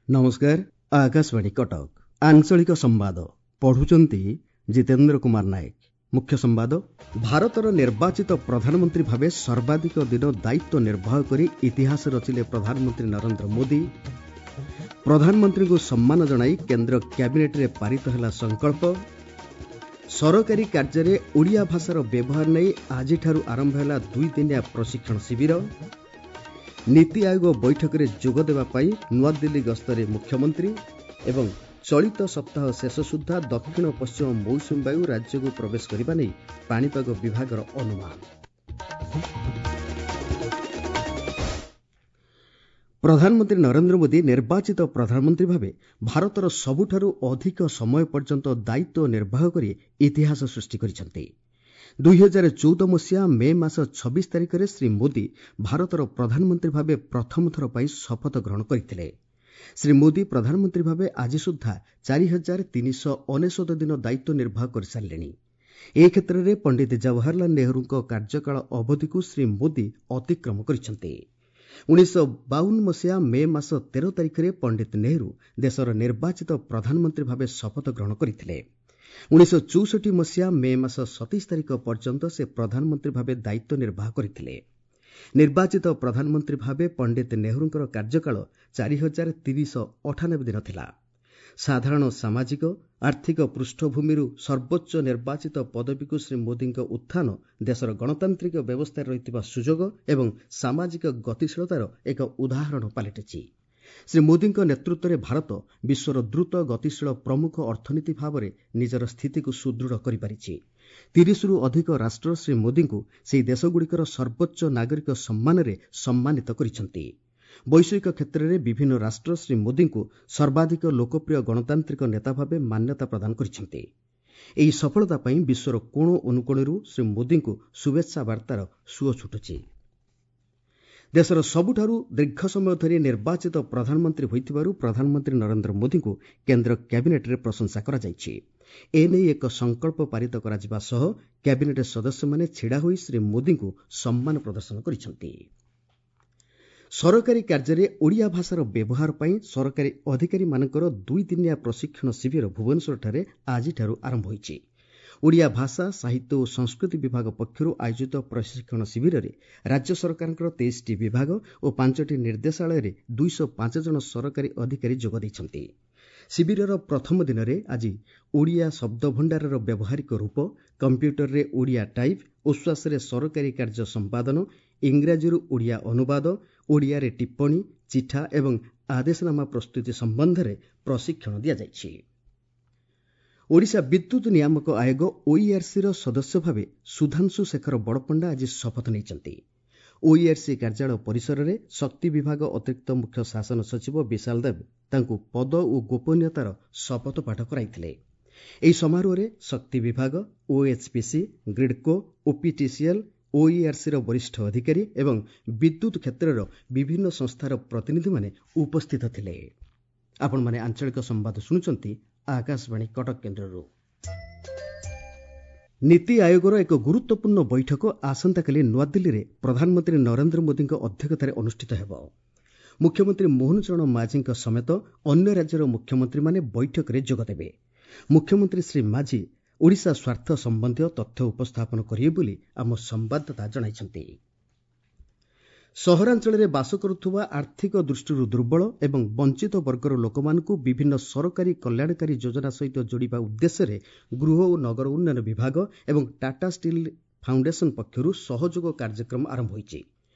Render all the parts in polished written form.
ନମସ୍କାର, ଆକାଶବାଣୀ କଟକ। ଆଞ୍ଚଳିକ ସମ୍ବାଦ ପଢୁଛନ୍ତି ଜିତେନ୍ଦ୍ର କୁମାର ନାୟକ। ମୁଖ୍ୟ ସମ୍ବାଦ: ଭାରତର ନିର୍ବାଚିତ ପ୍ରଧାନମନ୍ତ୍ରୀ ଭାବେ ସର୍ବାଧିକ ଦିନ ଦାୟିତ୍ୱ ନିର୍ବାହ କରି ଇତିହାସ ରଚିଲେ ପ୍ରଧାନମନ୍ତ୍ରୀ ନରେନ୍ଦ୍ର ମୋଦି। ପ୍ରଧାନମନ୍ତ୍ରୀଙ୍କୁ ସମ୍ମାନ ଜଣାଇ କେନ୍ଦ୍ର କ୍ୟାବିନେଟ୍ରେ ପାରିତ ହେଲା ସଂକଳ୍ପ। ସରକାରୀ କାର୍ଯ୍ୟରେ ଓଡ଼ିଆ ଭାଷାର ବ୍ୟବହାର ନେଇ ଆଜିଠାରୁ ଆରମ୍ଭ ହେଲା ଦୁଇଦିନିଆ ପ୍ରଶିକ୍ଷଣ ଶିବିର। ନୀତି ଆୟୋଗ ବୈଠକରେ ଯୋଗଦେବା ପାଇଁ ନୂଆଦିଲ୍ଲୀ ଗସ୍ତରେ ମୁଖ୍ୟମନ୍ତ୍ରୀ। ଏବଂ ଚଳିତ ସପ୍ତାହ ଶେଷ ସୁଦ୍ଧା ଦକ୍ଷିଣ ପଶ୍ଚିମ ମୌସୁମୀ ବାୟୁ ରାଜ୍ୟକୁ ପ୍ରବେଶ କରିବା ନେଇ ପାଣିପାଗ ବିଭାଗର ଅନୁମାନ। ପ୍ରଧାନମନ୍ତ୍ରୀ ନରେନ୍ଦ୍ର ମୋଦି ନିର୍ବାଚିତ ପ୍ରଧାନମନ୍ତ୍ରୀ ଭାବେ ଭାରତର ସବୁଠାରୁ ଅଧିକ ସମୟ ପର୍ଯ୍ୟନ୍ତ ଦାୟିତ୍ୱ ନିର୍ବାହ କରି ଇତିହାସ ସୃଷ୍ଟି କରିଛନ୍ତି। 2014 ମସିହା ମେ ମାସ 26 ତାରିଖରେ ଶ୍ରୀ ମୋଦି ଭାରତର ପ୍ରଧାନମନ୍ତ୍ରୀ ଭାବେ ପ୍ରଥମ ଥର ପାଇଁ ଶପଥ ଗ୍ରହଣ କରିଥିଲେ। ଶ୍ରୀ ମୋଦି ପ୍ରଧାନମନ୍ତ୍ରୀ ଭାବେ ଆଜି ସୁଦ୍ଧା 4399 ଦିନ ଦାୟିତ୍ୱ ନିର୍ବାହ କରିସାରିଲେଣି। ଏ କ୍ଷେତ୍ରରେ ପଣ୍ଡିତ ଜବାହରଲାଲ ନେହେରୁଙ୍କ କାର୍ଯ୍ୟକାଳ ଅବଧିକୁ ଶ୍ରୀ ମୋଦି ଅତିକ୍ରମ କରିଛନ୍ତି। 1952 ମସିହା ମେ ମାସ 13 ତାରିଖରେ ପଣ୍ଡିତ ନେହେରୁ ଦେଶର ନିର୍ବାଚିତ ପ୍ରଧାନମନ୍ତ୍ରୀ ଭାବେ ଶପଥ ଗ୍ରହଣ କରିଥିଲେ। 1964 ମସିହା ମେ ମାସ 27 ତାରିଖ ପର୍ଯ୍ୟନ୍ତ ସେ ପ୍ରଧାନମନ୍ତ୍ରୀ ଭାବେ ଦାୟିତ୍ୱ ନିର୍ବାହ କରିଥିଲେ। ନିର୍ବାଚିତ ପ୍ରଧାନମନ୍ତ୍ରୀ ଭାବେ ପଣ୍ଡିତ ନେହେରୁଙ୍କର କାର୍ଯ୍ୟକାଳ 4398 ଦିନ ଥିଲା। ସାଧାରଣ ସାମାଜିକ ଆର୍ଥିକ ପୃଷ୍ଠଭୂମିରୁ ସର୍ବୋଚ୍ଚ ନିର୍ବାଚିତ ପଦବୀକୁ ଶ୍ରୀ ମୋଦିଙ୍କ ଉତ୍ଥାନ ଦେଶର ଗଣତାନ୍ତ୍ରିକ ବ୍ୟବସ୍ଥାରେ ରହିଥିବା ସୁଯୋଗ ଏବଂ ସାମାଜିକ ଗତିଶୀଳତାର ଏକ ଉଦାହରଣ ପାଲଟିଛି। ଶ୍ରୀ ମୋଦିଙ୍କ ନେତୃତ୍ୱରେ ଭାରତ ବିଶ୍ୱର ଦ୍ରୁତ ଗତିଶୀଳ ପ୍ରମୁଖ ଅର୍ଥନୀତି ଭାବରେ ନିଜର ସ୍ଥିତିକୁ ସୁଦୃଢ଼ କରିପାରିଛି। 30ରୁ ଅଧିକ ରାଷ୍ଟ୍ର ଶ୍ରୀ ମୋଦିଙ୍କୁ ସେହି ଦେଶଗୁଡ଼ିକର ସର୍ବୋଚ୍ଚ ନାଗରିକ ସମ୍ମାନରେ ସମ୍ମାନିତ କରିଛନ୍ତି। ବୈଷୟିକ କ୍ଷେତ୍ରରେ ବିଭିନ୍ନ ରାଷ୍ଟ୍ର ଶ୍ରୀ ମୋଦିଙ୍କୁ ସର୍ବାଧିକ ଲୋକପ୍ରିୟ ଗଣତାନ୍ତ୍ରିକ ନେତା ଭାବେ ମାନ୍ୟତା ପ୍ରଦାନ କରିଛନ୍ତି। ଏହି ସଫଳତା ପାଇଁ ବିଶ୍ୱର କୋଣ ଅନୁକୋଣରୁ ଶ୍ରୀ ମୋଦିଙ୍କୁ ଶୁଭେଚ୍ଛା ବାର୍ତ୍ତାର ସୁଅ ଛୁଟୁଛି। ଦେଶର ସବୁଠାରୁ ଦୀର୍ଘ ସମୟ ଧରି ନିର୍ବାଚିତ ପ୍ରଧାନମନ୍ତ୍ରୀ ହୋଇଥିବାରୁ ପ୍ରଧାନମନ୍ତ୍ରୀ ନରେନ୍ଦ୍ର ମୋଦିଙ୍କୁ କେନ୍ଦ୍ର କ୍ୟାବିନେଟ୍ରେ ପ୍ରଶଂସା କରାଯାଇଛି। ଏନେଇ ଏକ ସଂକଳ୍ପ ପାରିତ କରାଯିବା ସହ କ୍ୟାବିନେଟ୍ ସଦସ୍ୟମାନେ ଛିଡ଼ା ହୋଇ ଶ୍ରୀ ମୋଦିଙ୍କୁ ସମ୍ମାନ ପ୍ରଦର୍ଶନ କରିଛନ୍ତି। ସରକାରୀ କାର୍ଯ୍ୟରେ ଓଡ଼ିଆ ଭାଷାର ବ୍ୟବହାର ପାଇଁ ସରକାରୀ ଅଧିକାରୀମାନଙ୍କର ଦୁଇଦିନିଆ ପ୍ରଶିକ୍ଷଣ ଶିବିର ଭୁବନେଶ୍ୱରଠାରେ ଆଜିଠାରୁ ଆରମ୍ଭ ହୋଇଛି। ଓଡ଼ିଆ ଭାଷା, ସାହିତ୍ୟ ଓ ସଂସ୍କୃତି ବିଭାଗ ପକ୍ଷରୁ ଆୟୋଜିତ ପ୍ରଶିକ୍ଷଣ ଶିବିରରେ ରାଜ୍ୟ ସରକାରଙ୍କର 23ଟି ବିଭାଗ ଓ 5ଟି ନିର୍ଦ୍ଦେଶାଳୟରେ 205 ଜଣ ସରକାରୀ ଅଧିକାରୀ ଯୋଗ ଦେଇଛନ୍ତି। ଶିବିରର ପ୍ରଥମ ଦିନରେ ଆଜି ଓଡ଼ିଆ ଶବ୍ଦଭଣ୍ଡାରର ବ୍ୟବହାରିକ ରୂପ, କମ୍ପ୍ୟୁଟରରେ ଓଡ଼ିଆ ଟାଇପ୍, ଓସ୍ୱାସରେ ସରକାରୀ କାର୍ଯ୍ୟ ସମ୍ପାଦନ, ଇଂରାଜୀରୁ ଓଡ଼ିଆ ଅନୁବାଦ, ଓଡ଼ିଆରେ ଟିପ୍ପଣୀ, ଚିଠା ଏବଂ ଆଦେଶନାମା ପ୍ରସ୍ତୁତି ସମ୍ବନ୍ଧରେ ପ୍ରଶିକ୍ଷଣ ଦିଆଯାଇଛି। ଓଡ଼ିଶା ବିଦ୍ୟୁତ୍ ନିୟାମକ ଆୟୋଗ ଓଇଆର୍ସିର ସଦସ୍ୟ ଭାବେ ସୁଧାଂଶୁ ଶେଖର ବଡ଼ପଣ୍ଡା ଆଜି ଶପଥ ନେଇଛନ୍ତି। ଓଇଆର୍ସି କାର୍ଯ୍ୟାଳୟ ପରିସରରେ ଶକ୍ତି ବିଭାଗ ଅତିରିକ୍ତ ମୁଖ୍ୟ ଶାସନ ସଚିବ ବିଶାଲ ଦେବ ତାଙ୍କୁ ପଦ ଓ ଗୋପନୀୟତାର ଶପଥ ପାଠ କରାଇଥିଲେ। ଏହି ସମାରୋହରେ ଶକ୍ତି ବିଭାଗ, ଓଏଚ୍ପିସି, ଗ୍ରିଡ୍କୋ, ଓପିଟିସିଏଲ୍, ଓଇଆର୍ସିର ବରିଷ୍ଠ ଅଧିକାରୀ ଏବଂ ବିଦ୍ୟୁତ୍ କ୍ଷେତ୍ରର ବିଭିନ୍ନ ସଂସ୍ଥାର ପ୍ରତିନିଧିମାନେ ଉପସ୍ଥିତ ଥିଲେ। ଆପଣମାନେ ଆଞ୍ଚଳିକ ସମ୍ବାଦ ଶୁଣୁଛନ୍ତି ଆକାଶବାଣୀ କଟକ କେନ୍ଦ୍ରରୁ। ନୀତି ଆୟୋଗର ଏକ ଗୁରୁତ୍ୱପୂର୍ଣ୍ଣ ବୈଠକ ଆସନ୍ତାକାଲି ନୂଆଦିଲ୍ଲୀରେ ପ୍ରଧାନମନ୍ତ୍ରୀ ନରେନ୍ଦ୍ର ମୋଦିଙ୍କ ଅଧ୍ୟକ୍ଷତାରେ ଅନୁଷ୍ଠିତ ହେବ। ମୁଖ୍ୟମନ୍ତ୍ରୀ ମୋହନ ଚରଣ ମାଝୀଙ୍କ ସମେତ ଅନ୍ୟ ରାଜ୍ୟର ମୁଖ୍ୟମନ୍ତ୍ରୀମାନେ ବୈଠକରେ ଯୋଗଦେବେ। ମୁଖ୍ୟମନ୍ତ୍ରୀ ଶ୍ରୀ ମାଝୀ ଓଡ଼ିଶା ସ୍ୱାର୍ଥ ସମ୍ବନ୍ଧୀୟ ତଥ୍ୟ ଉପସ୍ଥାପନ କରିବେ ବୋଲି ଆମ ସମ୍ବାଦଦାତା ଜଣାଇଛନ୍ତି। ସହରାଞ୍ଚଳରେ ବାସ କରୁଥିବା ଆର୍ଥିକ ଦୃଷ୍ଟିରୁ ଦୁର୍ବଳ ଏବଂ ବଞ୍ଚିତ ବର୍ଗର ଲୋକମାନଙ୍କୁ ବିଭିନ୍ନ ସରକାରୀ କଲ୍ୟାଣକାରୀ ଯୋଜନା ସହିତ ଯୋଡ଼ିବା ଉଦ୍ଦେଶ୍ୟରେ ଗୃହ ଓ ନଗର ଉନ୍ନୟନ ବିଭାଗ ଏବଂ ଟାଟା ଷ୍ଟିଲ୍ ଫାଉଣ୍ଡେସନ ପକ୍ଷରୁ ସହଯୋଗ କାର୍ଯ୍ୟକ୍ରମ ଆରମ୍ଭ ହୋଇଛି।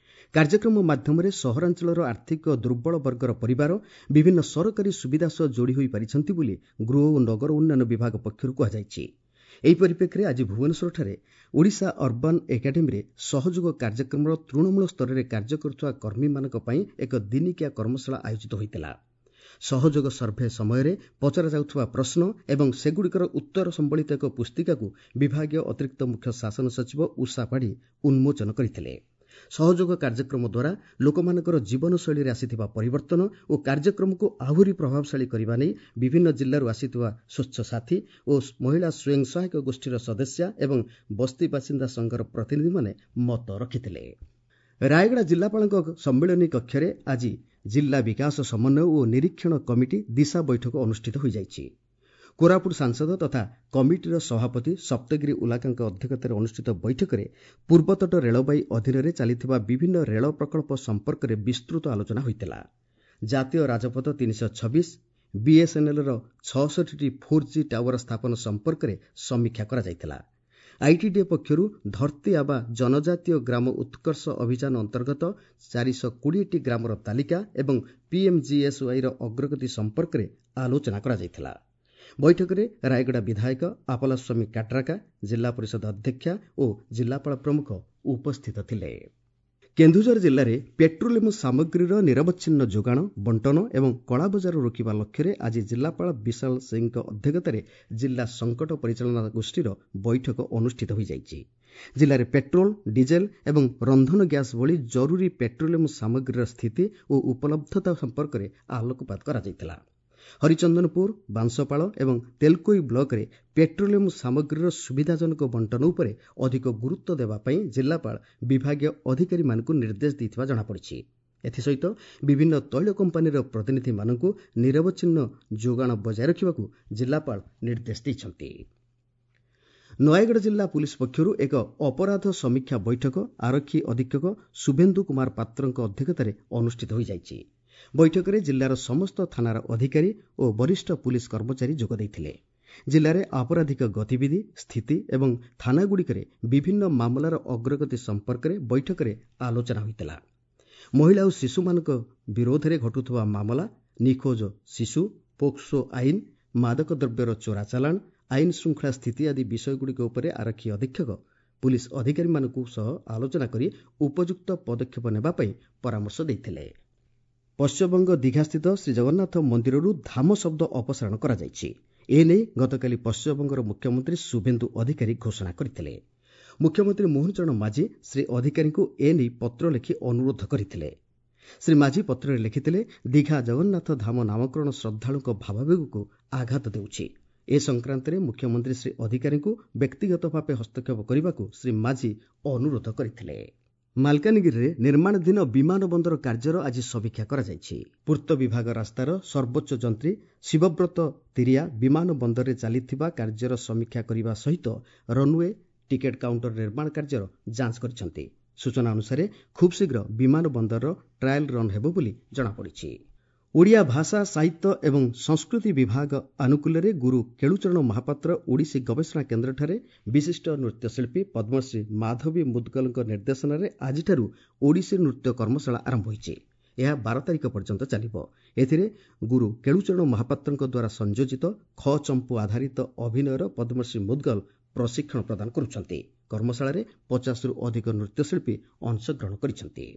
କାର୍ଯ୍ୟକ୍ରମ ମାଧ୍ୟମରେ ସହରାଞ୍ଚଳର ଆର୍ଥିକ ଦୁର୍ବଳ ବର୍ଗର ପରିବାର ବିଭିନ୍ନ ସରକାରୀ ସୁବିଧା ସହ ଯୋଡ଼ି ହୋଇପାରିଛନ୍ତି ବୋଲି ଗୃହ ଓ ନଗର ଉନ୍ନୟନ ବିଭାଗ ପକ୍ଷରୁ କୁହାଯାଇଛି। ଏହି ପରିପ୍ରେକ୍ଷୀରେ ଆଜି ଭୁବନେଶ୍ୱରଠାରେ ଓଡ଼ିଶା ଅର୍ବାନ୍ ଏକାଡେମୀରେ ସହଯୋଗ କାର୍ଯ୍ୟକ୍ରମର ତୃଣମୂଳ ସ୍ତରରେ କାର୍ଯ୍ୟ କରୁଥିବା କର୍ମୀମାନଙ୍କ ପାଇଁ ଏକ ଦିନିକିଆ କର୍ମଶାଳା ଆୟୋଜିତ ହୋଇଥିଲା। ସହଯୋଗ ସର୍ଭେ ସମୟରେ ପଚରାଯାଉଥିବା ପ୍ରଶ୍ନ ଏବଂ ସେଗୁଡ଼ିକର ଉତ୍ତର ସମ୍ବଳିତ ଏକ ପୁସ୍ତିକାକୁ ବିଭାଗୀୟ ଅତିରିକ୍ତ ମୁଖ୍ୟ ଶାସନ ସଚିବ ଉଷା ପାଢ଼ୀ ଉନ୍ମୋଚନ କରିଥିଲେ। ସହଯୋଗ କାର୍ଯ୍ୟକ୍ରମ ଦ୍ୱାରା ଲୋକମାନଙ୍କର ଜୀବନଶୈଳୀରେ ଆସିଥିବା ପରିବର୍ତ୍ତନ ଓ କାର୍ଯ୍ୟକ୍ରମକୁ ଆହୁରି ପ୍ରଭାବଶାଳୀ କରିବା ନେଇ ବିଭିନ୍ନ ଜିଲ୍ଲାରୁ ଆସିଥିବା ସ୍ୱଚ୍ଛ ସାଥୀ ଓ ମହିଳା ସ୍ୱୟଂ ସହାୟକ ଗୋଷ୍ଠୀର ସଦସ୍ୟା ଏବଂ ବସ୍ତି ବାସିନ୍ଦା ସଂଘର ପ୍ରତିନିଧିମାନେ ମତ ରଖିଥିଲେ। ରାୟଗଡ଼ା ଜିଲ୍ଲାପାଳଙ୍କ ସମ୍ମିଳନୀ କକ୍ଷରେ ଆଜି ଜିଲ୍ଲା ବିକାଶ ସମନ୍ୱୟ ଓ ନିରୀକ୍ଷଣ କମିଟି ଦିଶା ବୈଠକ ଅନୁଷ୍ଠିତ ହୋଇଯାଇଛି। କୋରାପୁଟ ସାଂସଦ ତଥା କମିଟିର ସଭାପତି ସପ୍ତଗିରି ଉଲାକାଙ୍କ ଅଧ୍ୟକ୍ଷତାରେ ଅନୁଷ୍ଠିତ ବୈଠକରେ ପୂର୍ବତଟ ରେଳବାଇ ଅଧୀନରେ ଚାଲିଥିବା ବିଭିନ୍ନ ରେଳ ପ୍ରକଳ୍ପ ସମ୍ପର୍କରେ ବିସ୍ତୃତ ଆଲୋଚନା ହୋଇଥିଲା। ଜାତୀୟ ରାଜପଥ 326, ବିଏସ୍ଏନ୍ଏଲ୍ର 66ଟି 4G tower ସ୍ଥାପନ ସମ୍ପର୍କରେ ସମୀକ୍ଷା କରାଯାଇଥିଲା। ଆଇଟିଡିଏ ପକ୍ଷରୁ ଧରତୀ ଆବା ଜନଜାତୀୟ ଗ୍ରାମ ଉତ୍କର୍ଷ ଅଭିଯାନ ଅନ୍ତର୍ଗତ 420ଟି ଗ୍ରାମର ତାଲିକା ଏବଂ ପିଏମ୍ଜିଏସ୍ୱାଇର ଅଗ୍ରଗତି ସମ୍ପର୍କରେ ଆଲୋଚନା କରାଯାଇଥିଲା। ବୈଠକରେ ରାୟଗଡ଼ା ବିଧାୟକ ଆପଲାସ୍ୱାମୀ କାଟ୍ରାକା, ଜିଲ୍ଲା ପରିଷଦ ଅଧ୍ୟକ୍ଷା ଓ ଜିଲ୍ଲାପାଳ ପ୍ରମୁଖ ଉପସ୍ଥିତ ଥିଲେ। କେନ୍ଦୁଝର ଜିଲ୍ଲାରେ ପେଟ୍ରୋଲିୟମ ସାମଗ୍ରୀର ନିରବଚ୍ଛିନ୍ନ ଯୋଗାଣ, ବଣ୍ଟନ ଏବଂ କଳାବଜାର ରୋକିବା ଲକ୍ଷ୍ୟରେ ଆଜି ଜିଲ୍ଲାପାଳ ବିଶାଳ ସିଂଙ୍କ ଅଧ୍ୟକ୍ଷତାରେ ଜିଲ୍ଲା ସଙ୍କଟ ପରିଚାଳନା ଗୋଷ୍ଠୀର ବୈଠକ ଅନୁଷ୍ଠିତ ହୋଇଯାଇଛି। ଜିଲ୍ଲାରେ ପେଟ୍ରୋଲ, ଡିଜେଲ ଏବଂ ରନ୍ଧନ ଗ୍ୟାସ୍ ଭଳି ଜରୁରୀ ପେଟ୍ରୋଲିୟମ ସାମଗ୍ରୀର ସ୍ଥିତି ଓ ଉପଲବ୍ଧତା ସମ୍ପର୍କରେ ଆଲୋକପାତ କରାଯାଇଥିଲା। ହରିଚନ୍ଦନପୁର, ବାଂଶପାଳ ଏବଂ ତେଲକୋଇ ବ୍ଲକରେ ପେଟ୍ରୋଲିୟମ ସାମଗ୍ରୀର ସୁବିଧାଜନକ ବଣ୍ଟନ ଉପରେ ଅଧିକ ଗୁରୁତ୍ୱ ଦେବା ପାଇଁ ଜିଲ୍ଲାପାଳ ବିଭାଗୀୟ ଅଧିକାରୀମାନଙ୍କୁ ନିର୍ଦ୍ଦେଶ ଦେଇଥିବା ଜଣାପଡ଼ିଛି। ଏଥିସହିତ ବିଭିନ୍ନ ତୈଳ କମ୍ପାନୀର ପ୍ରତିନିଧିମାନଙ୍କୁ ନିରବଚ୍ଛିନ୍ନ ଯୋଗାଣ ବଜାୟ ରଖିବାକୁ ଜିଲ୍ଲାପାଳ ନିର୍ଦ୍ଦେଶ ଦେଇଛନ୍ତି। ନୟାଗଡ଼ ଜିଲ୍ଲା ପୁଲିସ୍ ପକ୍ଷରୁ ଏକ ଅପରାଧ ସମୀକ୍ଷା ବୈଠକ ଆରକ୍ଷୀ ଅଧୀକ୍ଷକ ଶୁଭେନ୍ଦୁ କୁମାର ପାତ୍ରଙ୍କ ଅଧ୍ୟକ୍ଷତାରେ ଅନୁଷ୍ଠିତ ହୋଇଯାଇଛି। ବୈଠକରେ ଜିଲ୍ଲାର ସମସ୍ତ ଥାନାର ଅଧିକାରୀ ଓ ବରିଷ୍ଠ ପୁଲିସ୍ କର୍ମଚାରୀ ଯୋଗ ଦେଇଥିଲେ। ଜିଲ୍ଲାରେ ଆପରାଧିକ ଗତିବିଧି, ସ୍ଥିତି ଏବଂ ଥାନାଗୁଡ଼ିକରେ ବିଭିନ୍ନ ମାମଲାର ଅଗ୍ରଗତି ସମ୍ପର୍କରେ ବୈଠକରେ ଆଲୋଚନା ହୋଇଥିଲା। ମହିଳା ଓ ଶିଶୁମାନଙ୍କ ବିରୋଧରେ ଘଟୁଥିବା ମାମଲା, ନିଖୋଜ ଶିଶୁ, ପୋକ୍ସୋ ଆଇନ, ମାଦକ ଦ୍ରବ୍ୟର ଚୋରା ଚାଲାଣ, ଆଇନ ଶୃଙ୍ଖଳା ସ୍ଥିତି ଆଦି ବିଷୟଗୁଡ଼ିକ ଉପରେ ଆରକ୍ଷୀ ଅଧୀକ୍ଷକ ପୁଲିସ୍ ଅଧିକାରୀମାନଙ୍କ ସହ ଆଲୋଚନା କରି ଉପଯୁକ୍ତ ପଦକ୍ଷେପ ନେବା ପାଇଁ ପରାମର୍ଶ ଦେଇଥିଲେ। ପଶ୍ଚିମବଙ୍ଗ ଦୀଘାସ୍ଥିତ ଶ୍ରୀଜଗନ୍ନାଥ ମନ୍ଦିରରୁ ଧାମ ଶବ୍ଦ ଅପସାରଣ କରାଯାଇଛି। ଏନେଇ ଗତକାଲି ପଶ୍ଚିମବଙ୍ଗର ମୁଖ୍ୟମନ୍ତ୍ରୀ ଶୁଭେନ୍ଦୁ ଅଧିକାରୀ ଘୋଷଣା କରିଥିଲେ। ମୁଖ୍ୟମନ୍ତ୍ରୀ ମୋହନ ଚରଣ ମାଝୀ ଶ୍ରୀ ଅଧିକାରୀଙ୍କୁ ଏନେଇ ପତ୍ର ଲେଖି ଅନୁରୋଧ କରିଥିଲେ। ଶ୍ରୀ ମାଝୀ ପତ୍ରରେ ଲେଖିଥିଲେ, ଦୀଘା ଜଗନ୍ନାଥ ଧାମ ନାମକରଣ ଶ୍ରଦ୍ଧାଳୁଙ୍କ ଭାବାବେଗକୁ ଆଘାତ ଦେଉଛି। ଏ ସଂକ୍ରାନ୍ତରେ ମୁଖ୍ୟମନ୍ତ୍ରୀ ଶ୍ରୀ ଅଧିକାରୀଙ୍କୁ ବ୍ୟକ୍ତିଗତ ଭାବେ ହସ୍ତକ୍ଷେପ କରିବାକୁ ଶ୍ରୀ ମାଝୀ ଅନୁରୋଧ କରିଥିଲେ। ମାଲକାନଗିରିରେ ନିର୍ମାଣାଧୀନ ବିମାନ ବନ୍ଦର କାର୍ଯ୍ୟର ଆଜି ସମୀକ୍ଷା କରାଯାଇଛି। ପୂର୍ତ୍ତ ବିଭାଗ ରାସ୍ତାର ସର୍ବୋଚ୍ଚ ଯନ୍ତ୍ରୀ ଶିବବ୍ରତ ତିରିଆ ବିମାନ ବନ୍ଦରରେ ଚାଲିଥିବା କାର୍ଯ୍ୟର ସମୀକ୍ଷା କରିବା ସହିତ ରନ୍ୱେ, ଟିକେଟ୍ କାଉଣ୍ଟର ନିର୍ମାଣ କାର୍ଯ୍ୟର ଯାଞ୍ଚ କରିଛନ୍ତି। ସୂଚନା ଅନୁସାରେ ଖୁବ୍ ଶୀଘ୍ର ବିମାନ ବନ୍ଦରର ଟ୍ରାଏଲ୍ ରନ୍ ହେବ ବୋଲି ଜଣାପଡ଼ିଛି। ଓଡ଼ିଆ ଭାଷା, ସାହିତ୍ୟ ଏବଂ ସଂସ୍କୃତି ବିଭାଗ ଆନୁକୂଲ୍ୟରେ ଗୁରୁ କେଳୁଚରଣ ମହାପାତ୍ର ଓଡ଼ିଶୀ ଗବେଷଣା କେନ୍ଦ୍ରଠାରେ ବିଶିଷ୍ଟ ନୃତ୍ୟଶିଳ୍ପୀ ପଦ୍ମଶ୍ରୀ ମାଧବୀ ମୁଦଗଲଙ୍କ ନିର୍ଦ୍ଦେଶନାରେ ଆଜିଠାରୁ ଓଡ଼ିଶୀ ନୃତ୍ୟ କର୍ମଶାଳା ଆରମ୍ଭ ହୋଇଛି। ଏହା 12 ତାରିଖ ପର୍ଯ୍ୟନ୍ତ ଚାଲିବ। ଏଥିରେ ଗୁରୁ କେଳୁଚରଣ ମହାପାତ୍ରଙ୍କ ଦ୍ୱାରା ସଂଯୋଜିତ ଖ ଚମ୍ପୁ ଆଧାରିତ ଅଭିନୟର ପଦ୍ମଶ୍ରୀ ମୁଦଗଲ ପ୍ରଶିକ୍ଷଣ ପ୍ରଦାନ କରୁଛନ୍ତି। କର୍ମଶାଳାରେ 50ରୁ ଅଧିକ ନୃତ୍ୟଶିଳ୍ପୀ ଅଂଶଗ୍ରହଣ କରିଛନ୍ତି।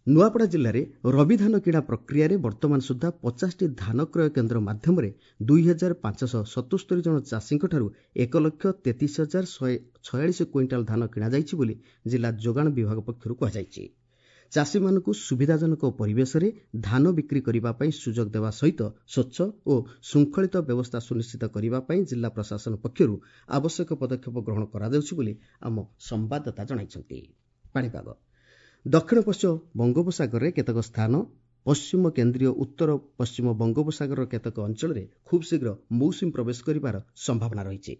ନୂଆପଡ଼ା ଜିଲ୍ଲାରେ ରବି ଧାନ କିଣା ପ୍ରକ୍ରିୟାରେ ବର୍ତ୍ତମାନ ସୁଦ୍ଧା 50ଟି ଧାନ କ୍ରୟ କେନ୍ଦ୍ର ମାଧ୍ୟମରେ 2577 ଜଣ ଚାଷୀଙ୍କଠାରୁ 1,33,146 କୁଇଣ୍ଟାଲ ଧାନ କିଣାଯାଇଛି ବୋଲି ଜିଲ୍ଲା ଯୋଗାଣ ବିଭାଗ ପକ୍ଷରୁ କୁହାଯାଇଛି। ଚାଷୀମାନଙ୍କୁ ସୁବିଧାଜନକ ପରିବେଶରେ ଧାନ ବିକ୍ରି କରିବା ପାଇଁ ସୁଯୋଗ ଦେବା ସହିତ ସ୍ୱଚ୍ଛ ଓ ଶୃଙ୍ଖଳିତ ବ୍ୟବସ୍ଥା ସୁନିଶ୍ଚିତ କରିବା ପାଇଁ ଜିଲ୍ଲା ପ୍ରଶାସନ ପକ୍ଷରୁ ଆବଶ୍ୟକ ପଦକ୍ଷେପ ଗ୍ରହଣ କରାଯାଉଛି ବୋଲି ଆମ ସମ୍ବାଦଦାତା ଜଣାଇଛନ୍ତି। ପାଣିପାଗ ଦକ୍ଷିଣ ପଶ୍ଚିମ ବଙ୍ଗୋପସାଗରରେ କେତେକ ସ୍ଥାନ, ପଶ୍ଚିମ କେନ୍ଦ୍ରୀୟ ଉତ୍ତର ପଶ୍ଚିମ ବଙ୍ଗୋପସାଗରର କେତେକ ଅଞ୍ଚଳରେ ଖୁବ୍ ଶୀଘ୍ର ମୌସୁମୀ ପ୍ରବେଶ କରିବାର ସମ୍ଭାବନା ରହିଛି।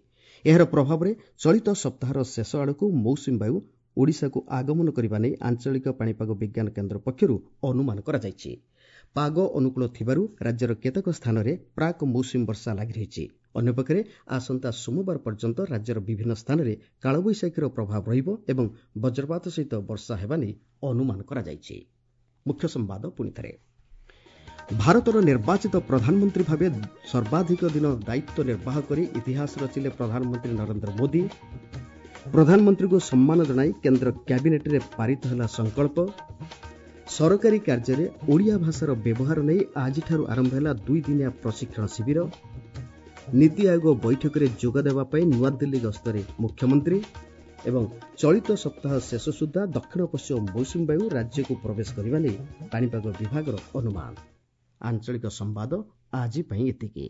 ଏହାର ପ୍ରଭାବରେ ଚଳିତ ସପ୍ତାହର ଶେଷ ଆଡ଼କୁ ମୌସୁମୀ ବାୟୁ ଓଡ଼ିଶାକୁ ଆଗମନ କରିବା ନେଇ ଆଞ୍ଚଳିକ ପାଣିପାଗ ବିଜ୍ଞାନ କେନ୍ଦ୍ର ପକ୍ଷରୁ ଅନୁମାନ କରାଯାଇଛି। ପାଗ ଅନୁକୂଳ ଥିବାରୁ ରାଜ୍ୟର କେତେକ ସ୍ଥାନରେ ପ୍ରାକ୍ ମୌସୁମୀ ବର୍ଷା ଲାଗି ରହିଛି। ଅନ୍ୟପକ୍ଷରେ ଆସନ୍ତା ସୋମବାର ପର୍ଯ୍ୟନ୍ତ ରାଜ୍ୟର ବିଭିନ୍ନ ସ୍ଥାନରେ କାଳବୈଶାଖୀର ପ୍ରଭାବ ରହିବ ଏବଂ ବଜ୍ରପାତ ସହିତ ବର୍ଷା ହେବା ନେଇ ଅନୁମାନ କରାଯାଇଛି। ମୁଖ୍ୟ ସମ୍ବାଦ ପୁଣିଥରେ। ଭାରତର ନିର୍ବାଚିତ ପ୍ରଧାନମନ୍ତ୍ରୀ ଭାବେ ସର୍ବାଧିକ ଦିନ ଦାୟିତ୍ୱ ନିର୍ବାହ କରି ଇତିହାସ ରଚିଲେ ପ୍ରଧାନମନ୍ତ୍ରୀ ନରେନ୍ଦ୍ର ମୋଦି। ପ୍ରଧାନମନ୍ତ୍ରୀଙ୍କୁ ସମ୍ମାନ ଜଣାଇ କେନ୍ଦ୍ର କ୍ୟାବିନେଟ୍ରେ ପାରିତ ହେଲା ସଂକଳ୍ପ। ସରକାରୀ କାର୍ଯ୍ୟରେ ଓଡ଼ିଆ ଭାଷାର ବ୍ୟବହାର ନେଇ ଆଜିଠାରୁ ଆରମ୍ଭ ହେଲା 2 ଦିନିଆ ପ୍ରଶିକ୍ଷଣ ଶିବିର। ନୀତି ଆୟୋଗ ବୈଠକରେ ଯୋଗଦେବା ପାଇଁ ନୂଆଦିଲ୍ଲୀ ଗସ୍ତରେ ମୁଖ୍ୟମନ୍ତ୍ରୀ। ଏବଂ ଚଳିତ ସପ୍ତାହ ଶେଷ ସୁଦ୍ଧା ଦକ୍ଷିଣ ପଶ୍ଚିମ ମୌସୁମୀ ବାୟୁ ରାଜ୍ୟକୁ ପ୍ରବେଶ କରିବା ନେଇ ପାଣିପାଗ ବିଭାଗର ଅନୁମାନ। ଆଞ୍ଚଳିକ ସମ୍ବାଦ ଆଜି ପାଇଁ ଏତିକି।